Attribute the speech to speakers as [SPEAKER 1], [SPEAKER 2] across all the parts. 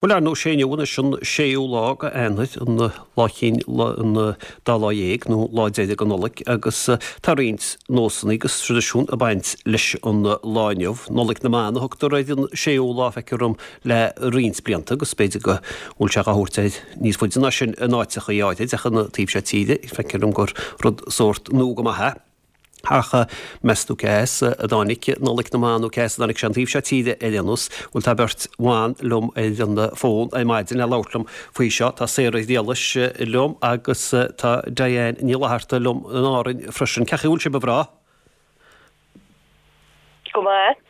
[SPEAKER 1] Bhuel, ar ndóigh, sé inniu anois an séú lá de Eanáir, an lá chinn an dá lá dhéag, nó lá deiridh de Nollaig, agus tá roinnt nósanna agus traidisiún ag baint leis an lá inniu. Nollaig na mBan a thugtar ar an séú lá, feictear dom, le roinnt blianta, agus b'fhéidir go bhfuil sé á thabhairt air níos faide ná sin in áiteachaí áirid, ach an taobh seo tíre, feictear dom gur rud sórt nua go maith é. Ach meas tú cé as a dtáinig Nollaig na mBan nó cé as a dtáinig sé an taobh seo tíre ar aon nós? Bhuel tá beirt bhan liom ar an bhfón ar maidin le labhairt liom faoi seo. Tá Sarah Ghriallais liom agus tá Diane Ní Fhlatharta liom in Árainn freisin. Cén chaoi a bhfuil sibh a mhná?
[SPEAKER 2] Go maith.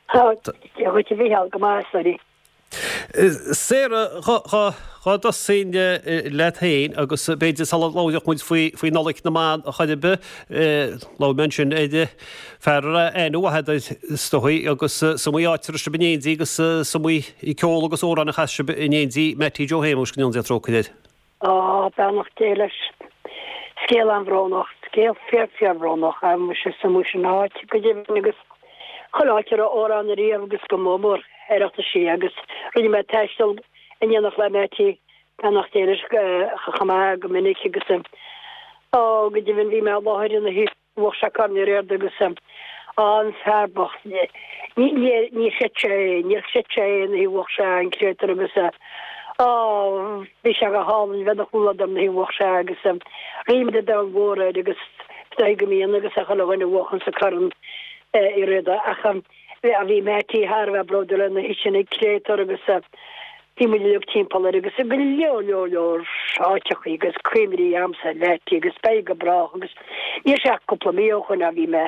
[SPEAKER 3] Tá, Dia dhuit a Mhícheál, go maith, sorry.
[SPEAKER 1] Sarah, dhá dtosóinn leat féin agus b'fhéidir sula labhródh muid faoi Nollaig na mBan a chor ar bith, labhair mé ansin ar fear a raibh aithne mhaith agat air is dóigh agus is iomaí áit a raibh sibh in éindí agus is iomaí ceol agus amhrán a chas sibh in éindí, Mattie Joe Shéamuis, go ndéana Dia trócaire air.
[SPEAKER 3] Á, beannacht Dé leis. Scéal an-bhrónach, scéal fíor fíorbhrónach. Muise is iomaí sin áit go deimhin agus chuile áit a raibh amhrán ariamh agus go mór mór Oireachtaisí agus rinne mé taisteal in éineacht le Mattie, beannacht Dé leis, chomh maith go minic agus á, go deimhin bhí mé i láthair ina thaobh. Bhuaigh sé Corn Uí Riada agus an fear bocht níor chreid sé é, níor chreid sé é nuair a bhuaigh sé an créatúr agus á bhí sé go hálainn bheith ina chomhluadar nuair a bhuaigh sé agus ríméad an domhain mhór air agus is dóigh go mbíonn agus ag chuile dhuine a bhuachanns an Corn Uí Riada ach bhí Mattie thar a bheith bródúil an oíche sin an créatúr agus bhí muid uilig timpeall air agus go leor leor leor áiteachaí agus cuimhní a'msa ar Mhattie agus beidh go brách agus níl sé ach cúpla mí ó shoin a bhí mé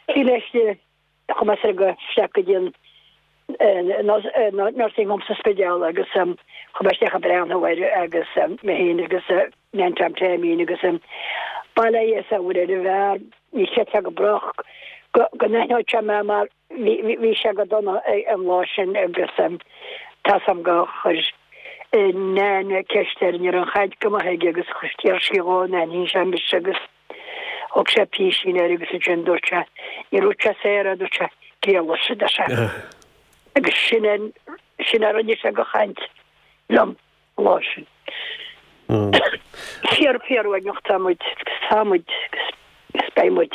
[SPEAKER 3] bhí mé istigh chuaigh mé soir go isteach go dtí an nursing home sa Spidéal agus chuaigh mé isteach ag breathnú air agus mé féin agus Nan Tom Taimín agus bail ó Dhia is ar Mhuire ar an bhfear ní chreidfeá go brách go n-aithneodh sé mé mar bhí sé go dona an lá sin agus tá 's a'm gur chuir Nan ceist air ní raibh an chaint go maith aige agus d'iarr sí dhó an aithníonn sé mise agus thug sé písín air agus ansin dúirt sé ní dúirt sé Sarah dúirt sé Griallais a deir sé agus sin é sin a rinne sé go chaint liom. an lá sin. Fíor fíor uaigneach tá muid agus tá muid agus beidh muid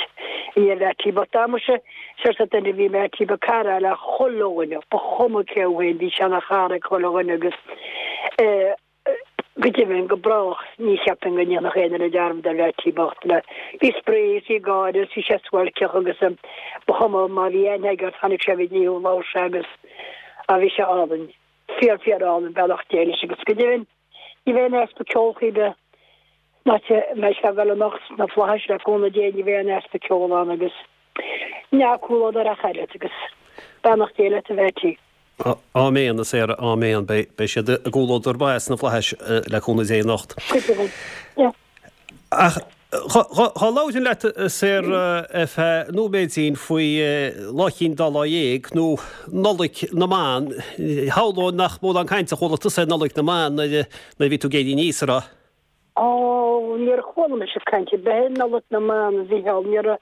[SPEAKER 3] i ndiaidh Mhattie bocht. Tá muise seosamh duine bhí Mattie ba cara le chuile dhuine, ba chuma cé thú féin, bhí sé ina chara ag chuile dhuine agus go deimhin go brách ní cheapfainn go ndéanfadh aon duine dearmad ar Mhattie bocht le bhí spraoi is bhí gáire is bhí sé suáilceach agus ba chuma má bhí aithne aige ort tháinig sé go dtí thú labhair sé agus bhí sé álainn. Fíor fíor álainn beannacht Dé leis agus go deimhin ní bheidh aon easpa ceoil chor ar bith san áit a mbeidh sé ag dul anocht sna Flaithis le cúnamh Dé ní bheidh aon easpa ceoil ann agus dea-chomhluadar ach oiread agus beannacht Dé leat a Mhattie.
[SPEAKER 1] Áiméan, a Sarah, áiméan. Beidh siad i gcomhluadar maith sna Flaithis le cúnamh Dé anocht.
[SPEAKER 3] Go deimhin, yeah.
[SPEAKER 1] Ach dhá labhrainn leat, a Sarah, ar feadh nóiméidín faoi Lá Chinn Dá Lá Dhéag, nó Nollaig na mBan. Shamhlóinn nach mórán cainte a chuala tusa ar Nollaig na mBan nuair a bhí tú ag éirí aníos, an raibh?
[SPEAKER 3] Ó, níor chuala mise caint ar bith ar Nollaig na mBan, a Mhícheáil. Ní raibh,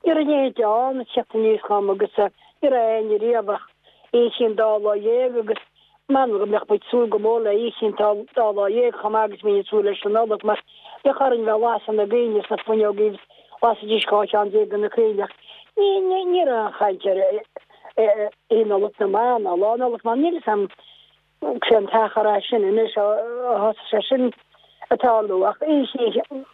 [SPEAKER 3] ní raibh a leithéid ann ag teacht aníos dhom agus ní raibh éinne riamh ach Oíche Chinn Dá Lá Dhéag agus M'anam go mbeadh muid ag súil go mór le Oíche Chinn Dá Lá Dhéag chomh maith agus a bhínn ag súil leis an Nollaig mar bheadh orainn bheith ag lasadh na gcoinnle sna fuinneogaí agus lasaidís 12 cheann de na coinnle ach ní ní ní raibh aon chaint ar Oíche Nollag na mBan ná Lá Nollag na mBan. Níl fhios a'm cén t-achar é sin anois ó thosaigh sé sin ag tarlú ach Oíche Chinn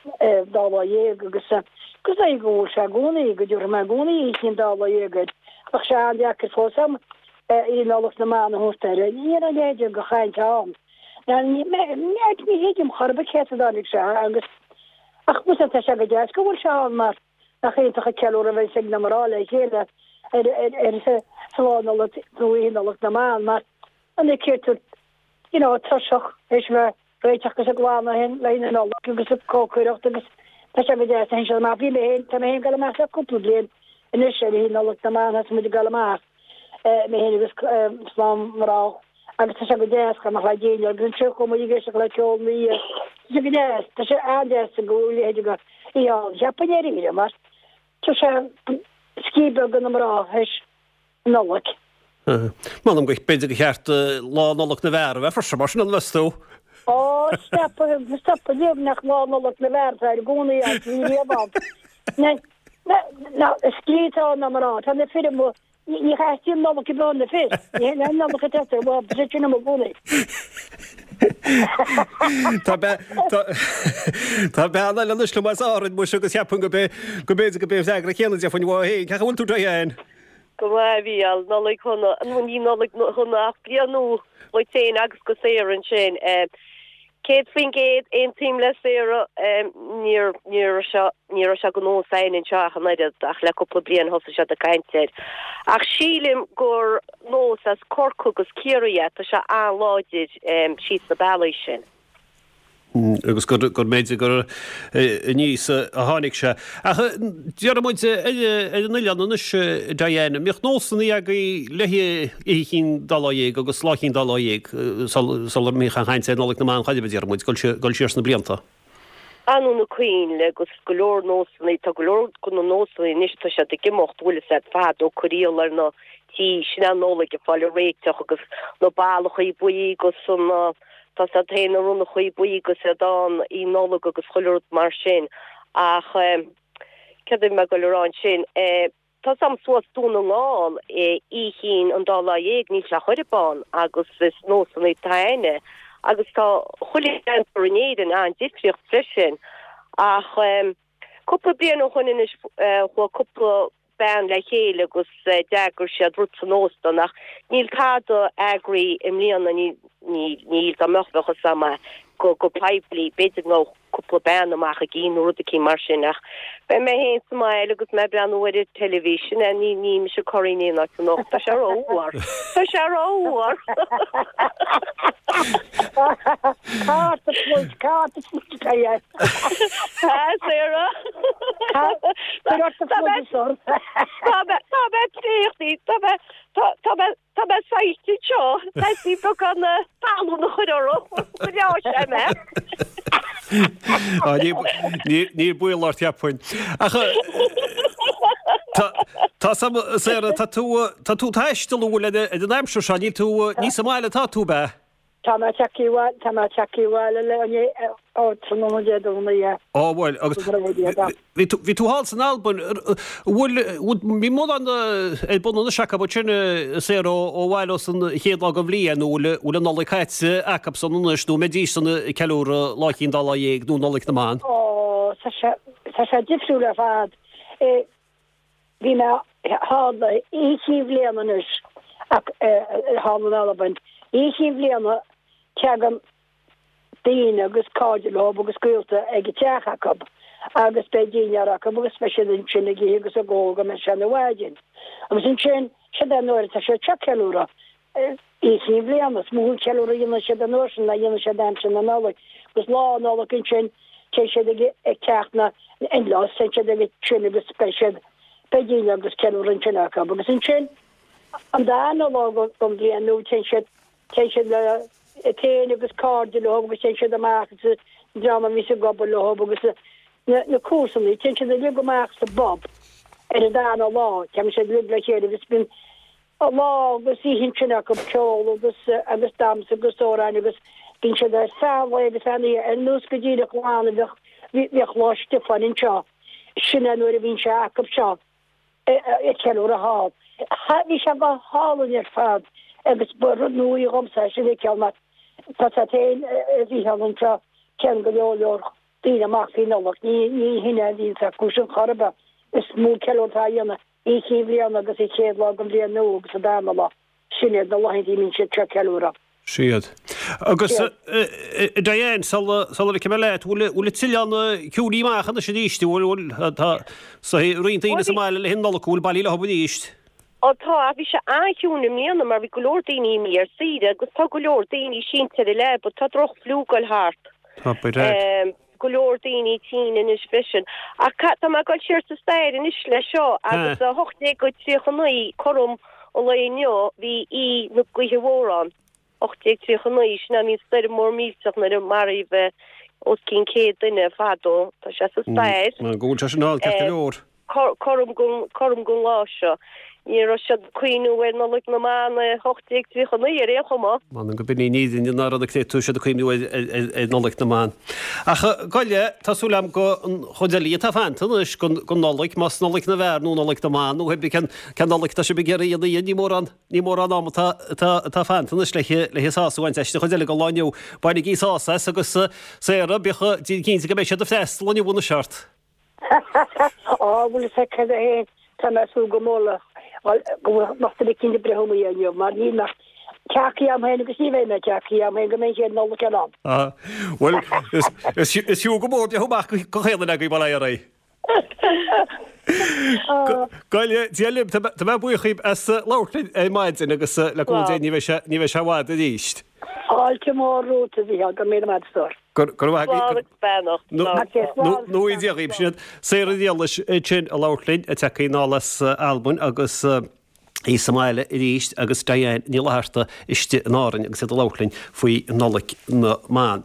[SPEAKER 3] Dá Lá Dhéag agus agus dóigh go bhfuil sé i gcónaí go dtabharfaidh mé i gcónaí Oíche Chinn Dá Lá Dhéag air. Bheadh sé an-deacair fós a'm Oíche Nollag na mBan a thabhairt air. Ní raibh a leithéid de chaint ann. Ní thuigim chor ar bith cé as a dtáinig sé agus ach muise tá sé go deas go bhfuil sé ann mar nach iontach an ceiliúradh a bheas ag na mná le chéile ar ar sa lá Nollag nó Oíche Nollag na mBan mar an ag tú you know tuirseach théis a bheith réiteach agus ag glanadh le haghaidh na Nollag agus ag cócaireacht agus tá sé go deas a théann siad amach. Bhí mé féin, tá mé féin ag dul amach le cúpla bliain anois ar Oíche Nollag na mBan, thosaigh muid ag dul amach, mé féin agus slám mná agus tá sé go deas go mbeadh le déine agus ansin chuaigh muid ag éisteacht le ceol na dhiaidh. Tá sé go deas, tá sé an-deas go bhfuil a leithéid de oíche ann. Cheapfainn dáiríre mar tá sé scíth beag do na mná théis Nollaig.
[SPEAKER 1] M'anam go b'fhéidir gur cheart Lá Nollag na bhFear a bheith freisin, mar sin an meas tú?
[SPEAKER 3] Ó, stop, stop, liom nach Lá Nollag na bhFear atá i gcónaí ann, ní riamh ann. Na, na, na, is scríte atá na mná, tá na fir amuigh, ní, ní theastaíonn Nollaig ar bith ó na fir, ní hé an Nollaig atá sa bhfad, tá siad sin amuigh i gcónaí.
[SPEAKER 1] Tá be, tá, tá bean eile anois liom as Árainn, muise, agus cheapfainn go b'é, go b'fhéidir go b'é an freagra céanna a déarfainn uaithi féin. Cén chaoi a bhfuil tú, Diane?
[SPEAKER 2] Go maith, a Mhícheáil. Nollaig shona, nó ní Nollaig shona ach bliain nua dhuit féin agus do Sarah ansin. 100% aontaím le Sarah, níor, ní raibh sé, ní raibh sé de nós againn anseo ach an oiread, ach le cúpla bliain thosaigh siad ag caint air. Ach sílim gur nós as Corcaigh agus Ciarraí é, tá sé an-láidir síos na bealaí sin.
[SPEAKER 1] agus gur b'fhéidir gur aníos a tháinig sé. Ach déarfaidh muid ar an oileán anois, Diane, an mbíodh nósanna agaibh le Oíche Chinn Dá Lá Dhéag agus Lá Chinn Dá Lá Dhéag sula mbíodh aon chaint ar Nollaig na mBan chor ar bith, déarfaidh muid, dul siar sna blianta?
[SPEAKER 2] Beannú na coinnle agus go leor nósanna, tá go leor de na nósanna anois, tá siad ag imeacht, bhfuil fhios a'd, fadó corraíl ar na tithe, sin é an Nollaig ag fáil réiteach agus na ballachaí buí agus an Tá 's a'd féin na ronnachaí buí agus iad ann í Nollag agus chuile rud mar sin ach céard a bhí mé ag goil a rá ansin, tá 's a'm suas Dún na nGall Oíche Chinn an Dá Lá Dhéag níl sé chor ar bith ann agus is nósanna atá a'inne agus tá chuile cheantar in Éirinn an-difríocht freisin ach cúpla bliain ó shoin anois chuaigh cúpla bean le chéile agus d'eagraigh siad rud san óstan ach níl tada eagraithe i mbliana, níl, níl, dá mbeadh bheadh fhios a'm go, go poiblí, b'fhéidir go ngabhfadh cúpla bean amach ag ithe nó rud eicínt mar sin ach beidh mé féin sa mbaile agus mé ag breathnú ar an teilifís, sin é, ní, ní mise ag corraí in aon áit anocht, tá sé ró-fhuar, tá sé ró-fhuar!
[SPEAKER 3] Cárta pluid, cárta pluid,
[SPEAKER 2] Tá, Sarah. Tá mé traochtaí, tá mé, tá mé, tá mé saillte anseo. Teastaíonn beagán talún a chur orm go leáfaidh sé mé.
[SPEAKER 1] Ní baol ort, cheapfainn. Ach tá Sarah, tá tú, tá tú ag taisteal an bhfuil ar an aimsir seo, níl tú, ní sa mbaile atá tú, ab ea?
[SPEAKER 3] Tá mé tagtha abhaile, tá mé tagtha abhaile le inné, ó tráthnóna Dé Domhnaigh, yeah.
[SPEAKER 1] Ó bhuel, agus bhí tú, bhí tú thall san Albain, bhfuil, bhfuil, bhí mórán ar bun anois acu ansin, a Sarah, ó bhaile ós an chéad lá den bhliain, nó bhfuil, bhfuil an Nollaig caite acu san anois, nó an mbeidís san ag ceiliúradh Lá Chinn Dá Lá Dhéag nó Nollaig na mBan?
[SPEAKER 3] Ó, tá sé, tá sé difriúil ar fad. Bhí mé thall Oíche Chinn Bhliana anois ach thall in Albain. Oíche Chinn Bhliana teagann daoine agus cairde leo agus gaolta ag an teach acu agus beidh dinnéar acu agus beidh siad ansin ag ithe agus ag ól go mbeidh sé ina mhaidin. Agus ansin, siod é an uair atá siad seo ag ceiliúradh. Oíche Chinn Bhliana, is mó an ceiliúradh a dhéanann siad an uair sin ná a dhéanann siad aimsir na Nollag. Agus Lá Nollag ansin, téann siad ag ag teach na n-in-laws, téann siad ag sin agus beidh siad, beidh dinnéar agus ceiliúradh ansin acu. Agus ansin, an darna lá den bhliain nua, téann siad, téann siad le iad féin agus cairde leo agus téann siad amach agus an dream a bhíos ag obair leo agus na, na comharsanaí, téann siad uilig amach sa bpub ar an darna lá, téann siad uilig le chéile agus bíonn, lá agus oíche ansin acu, ceol agus agus damhsa agus amhráin agus bíonn siad ar feadh an lae agus feadh an oíche, ar nós go díreach lá a bheadh bhíodh Lá Stiofáin anseo, sin é nuair a bhíonn sé acu seo ag ceiliúradh thall. Bhí sé go hálainn ar fad agus ba rud nua í dhomsa é sin a fheiceáil mar tá a fhios agat féin a Mhícheál anseo téann go leor leor daoine amach faoi Nollaig, ní ní hin é a bhíonns acu sin chor ar bith, is mó ceiliúradh atá á dhéanamh Oíche Chinn Bhliana agus an chéad lá den bhliain nua agus an darna lá. Sin iad na laethanta a mbíonn siad seo ag
[SPEAKER 1] ceiliúradh. Siad. Agus a Diane, sula ligfidh mé leat, bhfuil an t-oileán ciúinithe amach anois arís? Bhfuil, bhfuil, tá roinnt daoine sa mbaile le haghaidh Nollag, an bhfuil bailithe leo arís?
[SPEAKER 2] Ó tá, ach bhí sé an-chiúin i mbliana mar bhí go leor daoine imithe ar saoire agus tá go leor daoine sínte ar an leaba, tá droch-fhliú ag goil thart.
[SPEAKER 1] Tá, beidh.
[SPEAKER 2] go leor daoine tinn anois freisin. Ach tá mé ag dul siar sa stair anois le seo agus 1839, cothrom an lae inniu, bhí Oíche na Gaoithe Mhór ann. 1839, sin é bhí an stoirm mór millteach nuair a maraíodh os cionn 100 duine fadó. Tá sé sa stair.
[SPEAKER 1] Go bhfuil sé sin ann ceart go leor.
[SPEAKER 2] Cothrom don lá seo. Ní raibh siad ag cuimhniú ar Nollaig na mBan i 1839 ar aon chuma.
[SPEAKER 1] M'anam go binn í an fhírinne ná raibh na créatúir siad ag cuimhniú ar Nollaig na mBan. Ach gabh i leith, tá súil agam go an chuid eile atá fanta anois gon Nollaig, más Nollaig na bhfear nó Nollaig na mBan nó pé cén cén Nollaig atá sibh ag iarraidh a dhéanamh, ní mórán ní mórán am atá atá atá fanta anois le le sás a bhaint as an chuid eile den lá inniu. Bainigí sás as agus Sarah, bíodh déan cinnte go mbeidh siad ag freastal inniu anois ort.
[SPEAKER 3] Á, bhfuil fhios agat cad é féin, tá mé ag súil go mór le go bhfuil lucht duine eicínt ag breith amuigh inniu, mar níl mé tagtha agam féin agus ní bheidh mé tagtha agam féin go mbeidh an chéad Nollaig eile ann.
[SPEAKER 1] Á, bhuel, is fiú go mór breith amach go chaon duine agaibh, bail ó Dhia oraibh. Gabh i leith, Dia libh, tá mé buíoch dhíbh as labhairt linn ar maidin agus le cúnamh Dé ní bheidh sé, ní bheidh sé i bhfad arís.
[SPEAKER 3] Fáilte mhór romhat, a Mhícheál, go raibh míle maith agat, a stór.
[SPEAKER 1] Go raibh maith
[SPEAKER 2] agat. Slán agus beannacht.
[SPEAKER 1] Nó i Dia dhaoibh. Sin iad Sarah Niallais ansin ag labhairt linn, ag teacht anall as Albain agus í sa mbaile arís agus Diane Ní Fhlatharta istigh in Árainn agus iad ag labhairt linn faoi Nollaig na mBan.